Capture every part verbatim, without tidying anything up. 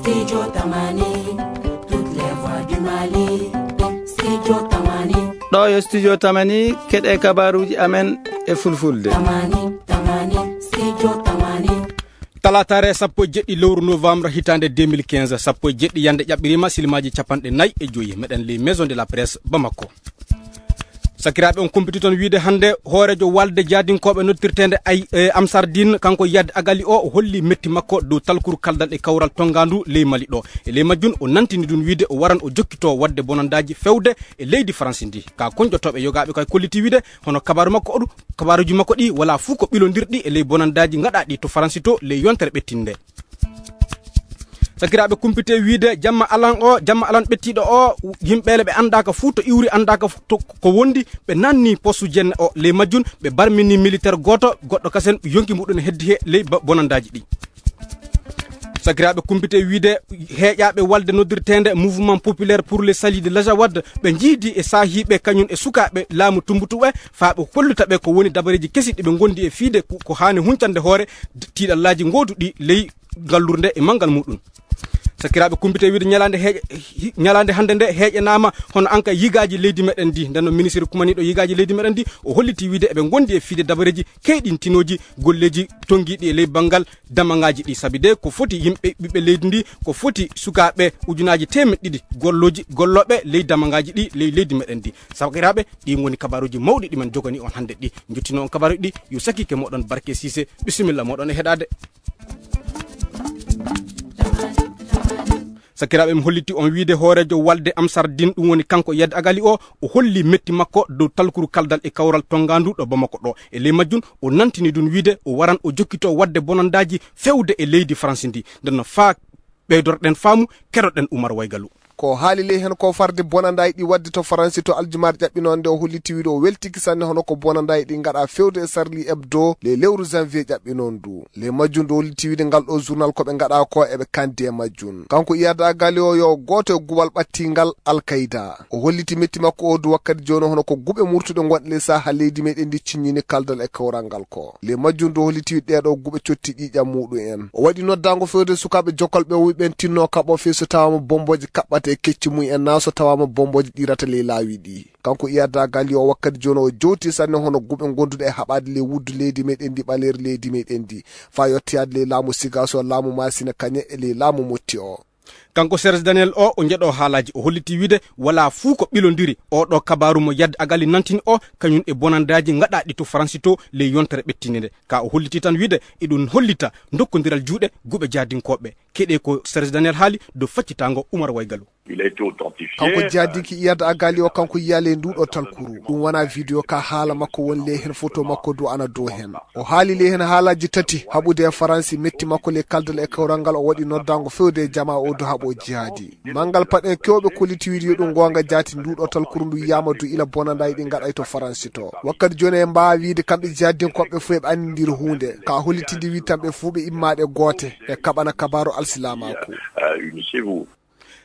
Studio Tamani, toutes les voix du Mali. Studio Tamani. Ɗo yo Studio Tamani, keɗe kabaruji amen e fulfulde. Tamani, Tamani, Studio Tamani. Talatare sappo e jeɗɗi lewru novembre hitande deux mille quinze, sappo e jeɗɗi yande ƴaɓɓirima, silmaji capanɗe nayi e joyi. Meɗen ley Maison de la Presse Bamako. Sakiraaɓe, on kumpiti toon wiide hannde hooreejo walde jaadinkoɓe noddirteende ay, e, Amsardine, kanko Yad Agali o, o holli metti makko dow talkuru kaldal e kawral tongaandu ley Mali ɗo. E ley majjum, o nantini ɗum wiide o waran o jokkito waɗde bonandaaji fewde e leydi Faransi ndi. Ka konjotooɓe yogaaɓe kay kolliti wiide, hono kabaaru makko oɗu, kabaaruji makko ɗi wala fuu ko ɓilondirɗi e ley bonandaaji ngaɗaaɗi to Faransi to ley yontere ɓettinde. Sakiraaɓe, kumpite wiide jamma alan o, jamma alan ɓettiiɗo o, yimɓeele ɓe anndaaka fuu to iwri, anndaaka fu-, to ko wondi, ɓe nanni postu jenne o ley majjum, ɓe barmini militaire gooto, goɗɗo kasen yonki muɗum heddi he ley ba-, bonandaaji ɗi. Sakiraaɓe, kumpite wiide heeƴaaɓe walde noddirteende Mouvement Populaire pour le Salut de l'Azawad, ɓe njiidi e saahiiɓe kañum e sukaaɓe laamu tumbutuɓe, faa ɓe holluta ɓe ko woni dabareeji kesi ɗi ɓe ngondi e fiide ko, ko haani huncande hoore d-, tiiɗallaaji ngooduɗi ley ngallurde e manngal muɗum. Sakiraaɓe, kumpite wiide ñalaande heeƴe-, hi-, ñalaande hannde nde heeƴanaama hono anka yigaaji leydi meɗen ndi. Nden noon, ministre kumaniiɗo yigaaji leydi meɗen ndi, o holliti wiide eɓe ngondi e fiide dabareeji keyɗintinooji golleeji tonngiiɗi e ley banngal damagaaji ɗi. Sabi de ko foti yimɓe, ɓiɓɓe leydi ndi, ko foti sukaaɓe ujunaaji teemeɗɗe ɗiɗi gollooji, gollooɓe ley damagaaji ɗi ley leydi meɗen ndi. Sakiraaɓe, ɗi ngoni kabaaruuji mawɗi ɗi men jogani on hannde ɗi. Njottino on kabaaruuji ɗi, yo sakiike moɗon Barke Siise. Bisimilla moɗon e heɗaade. Sakiraaɓe, mi holliti on wiide hooreejo walde Amsardine, ɗum woni kanko Yad Agali o, o holli metti makko dow talkuru kaldal e kawral tongaandu ɗo Bamako ɗo. E ley majjum, o nantini ɗum wiide o waran o jokkito waɗde bonandaaji fewde e leydi Faransi ndi. Nden no faa ɓeydorɗen faamu, keɗoɗen Umar Waygalu. Ko haali ley heen ko farde bonandaaji ɗi waɗde to Faransi to aljumaare ƴaɓɓinoonde, o holliti wiide o weltiki sanne hono ko bonandaaji ɗi ngaɗa fewde e Charlie Hebdo ley lewru janvier ƴaɓɓinoondu. Ley majjum, o holliti wiide ngal ɗo journal ko ɓe ngaɗa ko eɓe kandi e majjum. Kanko Iyad Agali o yo gooto e guwal ɓattingal Al Qaeda. O holliti metti makko o du wakkati jooni hono ko guɓe murtuɗe ngonɗe ley saha leydi meɗen ndi ciññini kaldal e kawral ngal ko. Ley majjum du o holliti ɗee ɗo guɓe cotti ƴiiƴam muɗum en. O waɗi noddaango fewde sukaaɓe jokalɓe o wi'i ɓen tinno kaɓo fii so tawaama bombooji kaɓɓata e kecci mum en naa so tawaama bombooji ɗirata ley laawi ɗi. Kanko Iyad Agali o wakkati jooni o jowti sanne hono guɓe gonduɗe e haɓaade ley wuddu leydi meɗen ndi ɓaleeri leydi meɗen ndi. Faa yottoyaade ley laamu Sigaso, laamu Masina Kañe e ley laamu Motti o. Kanko Serge Daniel o, o njeɗo haalaaji, o holliti wiide wala fuu ko ɓilondiri o ɗo kabaaru mo Yad Agali nantini o, kañum e bonandaaji ngaɗaaɗi to Faransi to ley yontere ɓettinde nde. Ka o holliti tan wiide eɗum hollita dokkondiral juuɗe guɓe jaadinkooɓe. Keɗe ko Serge Daniel haali dow faccitaango Umar Waygalu. Il a été authentifié. Kanko jaadinki Iyad Agali o, kanko yiya ley nduɗo talkuru. Ɗum wona video ka, haala makko woni ley hen, photo makko du ana dow hen. O haali ley heen haalaaji tati, haɓude e Faransi, metti makko ley kaldal e kawral ngal, o waɗi noddaango fewde e jamaa o du haɓo jihaadi. Manngal paɗen kewɓe kolliti wiide yo ɗum goonga jaati, nduɗo talkuru ndu yiyaama du ila bonandaaji ɗi ngaɗay to Faransi to. Wakkati jooni en mbaawa wiide kamɓe jihaadinkooɓe fof eɓe anndindiri huunde, ka hollitinde wiide tan ɓe fof ɓe immaaɗe goote, ɓe kaɓana kabaaru alsilaamaaku. Euh, unissez-vous.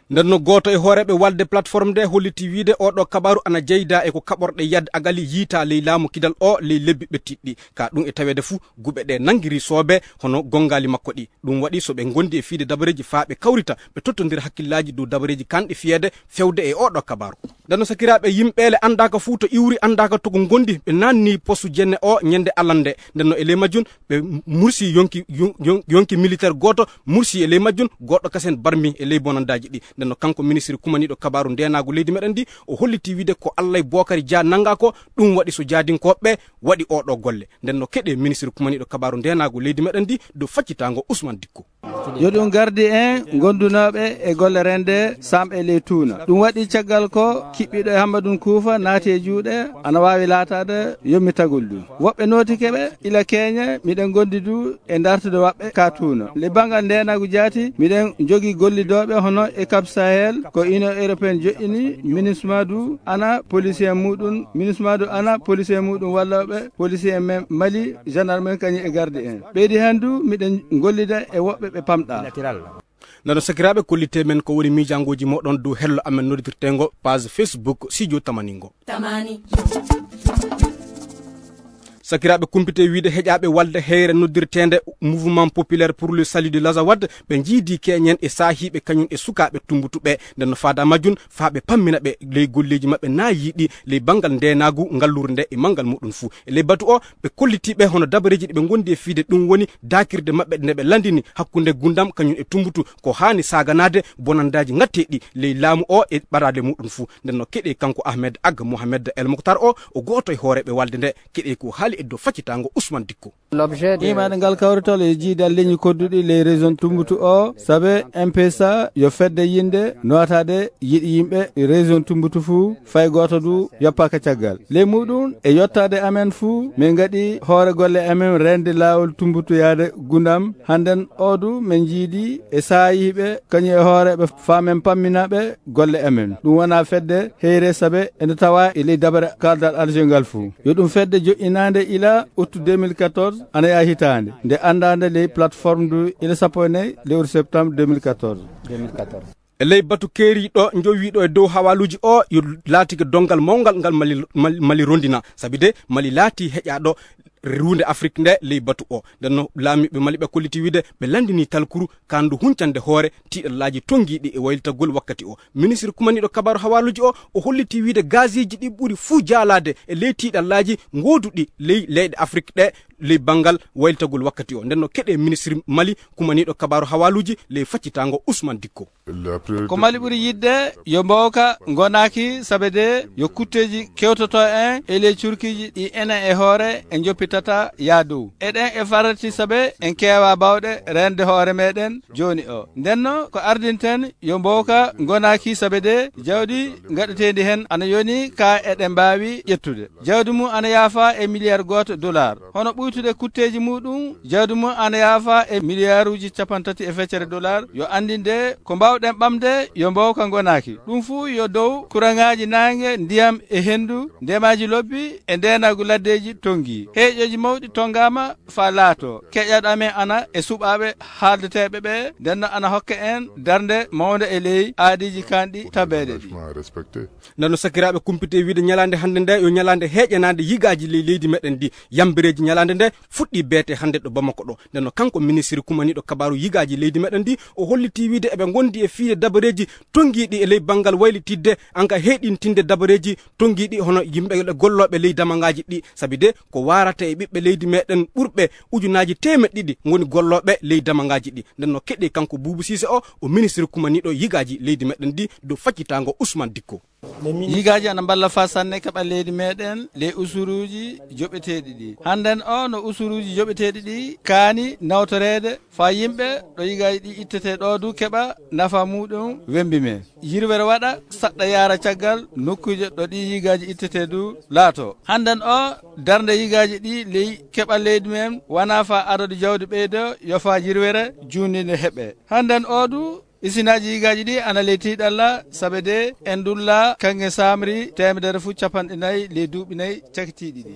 Nden no gooto e hooreeɓe walde plateforme nde holliti wiide oɗo kabaru ana jeyda e ko kaɓorɗe Yad Agali yiita ley laamu kidal o ley lebbi ɓettiɗɗi. Ka ɗum e taweede fuu, guɓe ɗe nangiri soobe hono gongaali makko ɗi. Ɗum waɗi so ɓe ngondi e fiide dabareeji faa ɓe kawrita, ɓe tottondira hakkillaaji dow dabareeji kanɗi fiyeede fewde e oɗo kabaru. Nden no sakiraaɓe, yimɓeele anndaaka fuu to iwri, anndaaka to ko ngondi, ɓe naanni postu jenne o ñande alande. Nden no e ley majjum, ɓe mursi yonki, yon-, yon-, yonki militaire gooto, mursi e ley majjum, goɗɗo kasen barmi e ley bonandaaji ɗi. Nden no kanko ministre kumaniiɗo kabaaru ndeenaagu leydi meɗen ndi, o holliti wiide ko Allay Bookari Dia nanngaa ko, ɗum waɗi so jaadinkooɓe waɗi oɗo golle. Nden no keɗe ministre kumaniiɗo kabaaru ndeenaagu leydi meɗen ndi dow faccitaango Ousmane Dikko. Yo ɗum gardi en gondunooɓe e golle rende samɓe ley tuuna. Ɗum waɗi caggal ko kiɓɓiɗo e Hammadun Kuufa naati e juuɗe, ana waawi laataade yommitagol ɗum. Woɓɓe nootike ɓe ila keeñe, miɗen gondi du e dartude waɓɓe ka tuuna. Le banngal ndeenaagu jaati, miɗen jogi gollidooɓe hono e Cap Sahel, ko Union Européenne joƴƴini, MINUSMA du ana policier muɗum, MINUSMA du ana policier muɗum wallooɓe, policier men Mali, gendarme en kañum e garde en. Ɓeydi heen du, miɗen gollida e woɓɓe ɓe pamɗa. Nano sakiraaɓe, kollite men ko woni miijangooji moɗon dow hello amen noddirtengo page Facebook Studio Tamaningo. Tamani. Sakiraaɓe kumpite wiide heƴaaɓe walde heyre noddirteende Mouvement Populaire pour le Salut de l'Azawad, ɓe njiidi keñen e saahiiɓe kañum e sukaaɓe Tumbutu ɓe. Nden no faada majjum, faa ɓe pammina ɓe ley golleeji maɓɓe naa yiiɗi ley banngal ndeenaagu ngallurde nde e manngal muɗum fuu. E ley batu o, ɓe kolliti ɓe hono dabareeji ɗi ɓe ngondi e fiide, ɗum woni daakirde maɓɓe nde ɓe landini hakkunde Gundam kañum e Tumbutu, ko haani saaganaade bonandaaji ngatteeɗi ley laamu o e ɓadaade muɗum fuu. Nden no keɗe kanko Ahmed Ag Mohamed El Mokhtar o, o gooto e hooreeɓe walde nde, keɗe ko haali e dow faccitaango Ousmane Dikko. Imaade ngal kawrital e jiidal leñi kodduɗi ley région Tumbutu o, sabe M P S A yo fedde yinde nootaade yiɗi yimɓe région Tumbutu fuu, fay gooto du yoppaaka caggal. Ley muɗum e yottaade amen fuu, min ngaɗi hoore golle amen rende laawol Tumbutu yaade Gundam. Hannden o du min njiidi e saayiiɓe kañum e hooreeɓe faa min pammina ɓe golle amen. Ɗum wonaa fedde heyre sabe ene tawa e ley dabare kaaldal Alger ngal fuu. Yo ɗum fedde joƴƴinaande ila août deux mille quatorze, ana yaha hitaande, nde anndaande ley plateforme du ila sappo e nayi lewru septembre deux mille quatorze. E ley batu keeriiɗo njowiiɗo e dow hawaaluuji o, yo laatike donngal mawngal ngal Mali, Mali, Mali rondina, sabi de Mali laatii heƴaaɗo ruunde Afrik nde ley batu o. Nden no laamiiɓe Mali ɓe kolliti wiide ɓe lanndinii talkuru kaandu huncande hoore tiiɗallaaji tonngiiɗi e waylitagol wakkati o. Ministre kumaniiɗo kabaaru hawaaluuji o, o hollitii wiide gaasiiji ɗi ɓuri fuu jaalaade e ley tiiɗallaaji ngooduɗi ley leyɗe Afrik ɗe ley banngal waylitagol wakkati o. Nden no keɗe ministre Mali kumaniiɗo kabaaru hawaaluuji ley faccitaango Ousmane Dikko. Ko Mali ɓuri yiɗde yo mbowka ngonaaki, sabe de yo kutteeji kewtoto en e ley curkiiji ɗi enen e hoore en njoppitata yaa dow. Eɗen e farati sabe en keewa baawɗe rende hoore meɗen jooni o. Ndenno ko ardinten yo mbowka ngonaaki, sabe de jawdi ngaɗeteendi hen ana yoni ka eɗen mbaawi ƴettude. Jawdi mum ana yaafa e miliyar gooto dollar. Hono ɓuytude kutteeji muɗum, jawdi mum ana yaafa e miliyaaruuji cappanɗe tati e feccere dollar. Yo anndinde ko mbaawɗen ɓamde yo mbowka ngonaaki. Ɗum fuu yo dow kuraŋaaji naange, ndiyam e henndu, ndemaaji lobbi e ndeenaagu laddeeji tonngi. Heeƴooji mawɗi tonngaama faa laato. Keƴaɗo amen ana e suɓaaɓe haaldeteeɓe ɓe, ndenno ana hokka en darnde mawnde e ley aadiiji kaanɗi tabeede ɗi. Nden no sakiraaɓe kumpite wiide ñalaande hannde nde yo ñalaande heeƴanaande yigaaji ley leydi meɗen ndi. Yambireeji ñalaande nde fuɗɗii beete hannde ɗo Bamako ɗo. Nden no kanko ministre kumaniiɗo kabaaru yigaaji leydi meɗen ndi, o hollitii wiide eɓe ngondi e fiide dabareeji tonngiiɗi e ley banngal waylitidde, anka heeɗintinde dabareeji tonngiiɗi hono yimɓe gollooɓe ley damagaaji ɗi. Sabi de ko waarata e ɓiɓɓe leydi meɗen ɓurɓe ujunaaji teemeɗɗe ɗiɗi ngoni gollooɓe ley damagaaji ɗi. Nden no keɗe kanko Buubu Siise o, o ministre kumaniiɗo yigaaji leydi meɗen ndi dow faccitaango Ousmane Dikko. Yigaaji ana mballa faa sanne keɓa leydi meɗen ley usuruuji joɓeteeɗi ɗi. Hannden o no usuruuji joɓeteeɗi ɗi kaani nawtoreede faa yimɓe ɗo yigaaji ɗi ittetee ɗo du keɓa nafa muɗum wembi men. Yirwere waɗa saɗɗa yaara caggal nokkuuje ɗo ɗi yigaaji ittetee du laato. Hannden o darnde yigaaji ɗi ley keɓa leydi men wonaa faa adadu jawdi ɓeydo yo faa yirwere juunni nde heɓe. Hannden o du isinaaji yigaaji ɗi ana ley tiiɗalla, sabe de en ndulla kaŋŋe saamri teemedere fuu cappanɗe nayi ley duuɓi nayi cakitiiɗi ɗi.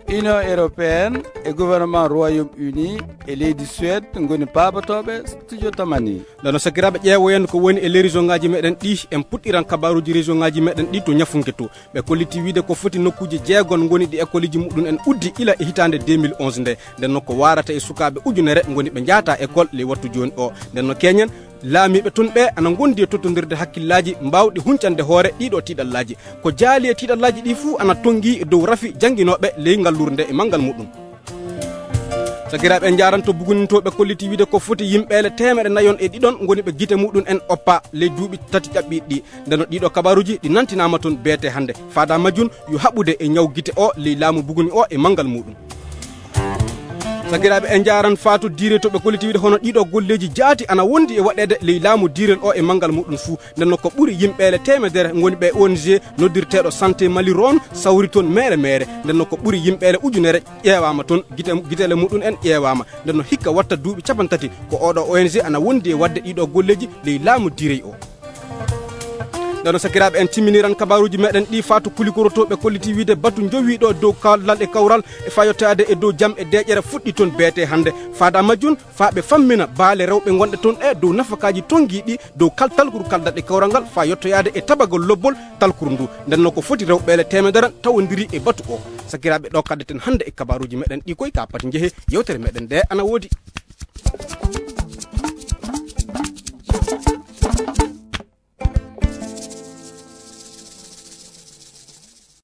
Union européenne e gouvernement Royaume-Uni e leydi Suède ngoni paabotooɓe studio Tamani. Nden no sakiraaɓe ƴeewoyen ko woni e ley région ngaaji meɗen ɗi, en puɗɗiran kabaaruuji région ngaaji meɗen ɗi to Ñafunke to. Ɓe kolliti wiide ko foti nokkuuje jeegon ngoni ɗi ekoliiji muɗum en uddi ila e hitaande deux mille onze nde. Nden no ko waarata e sukaaɓe ujunere ngoni ɓe njaata ekol ley wattu jooni o. Nden no keñen, laamiiɓe tun ɓe ana ngondi e tottondirde hakkillaaji mbaawɗi huncande hoore ɗiɗo tiiɗallaaji. Ko jaali e tiiɗallaaji ɗi fuu ana tonngi e dow rafi jannginooɓe ley ngallurde e manngal muɗum. Sakiraaɓe en njaaranto bugunintooɓe kolliti wiide ko foti yimɓeele teemeɗe nayon e ɗiɗon ngoni ɓe gite muɗum en oppa ley duuɓi tati ƴaɓɓiiɗi ɗi. Nden no ɗiɗo kabaaruuji ɗi nantinaama toon beete hannde. Faada majjum yo haɓude e ñaw gite o ley laamu buguni o e manngal muɗum. Sakiraaɓe en njaaran Faatu Diire to ɓe kolliti wiide hono ɗiɗo golleeji jaati ana wondi e waɗeede ley laamu diirel o e manngal muɗum fuu. Nden no ko ɓuri yimɓeele teemedere ngoni ɓe O N G noddirteeɗo Santé Mali Ron sawri toon meere meere. Nden no ko ɓuri yimɓeele ujunere ƴeewaama toon, gite, gitele muɗum en ƴeewaama. Nden no hikka watta duuɓi cappanɗe tati ko oɗo O N G ana wondi e waɗde ɗiɗo golleeji ley laamu diirey o. Nden no sakiraaɓe en timminiran kabaaruuji meɗen ɗi faa to kulikorotooɓe kolliti wiide batu njowiiɗo dow kaldal e kawral e faa yottoyaade e dow jam e deeƴere fuɗɗi toon beetee hannde. Faada majjun faa ɓe fammina baale rewɓe ngonɗe toon ɗe dow nafakaaji tonngiiɗi dow kal talkuru kaldal e kawral ngal faa yottoyaade e tabagol lobbol talkuru ndu. Nden no ko foti rewɓeele teemedere tawondiri e batu o. Sakiraaɓe ɗo kaddeten hannde e kabaaruuji meɗen ɗi koy ka pati njehe yewtere meɗen nde ana woodi.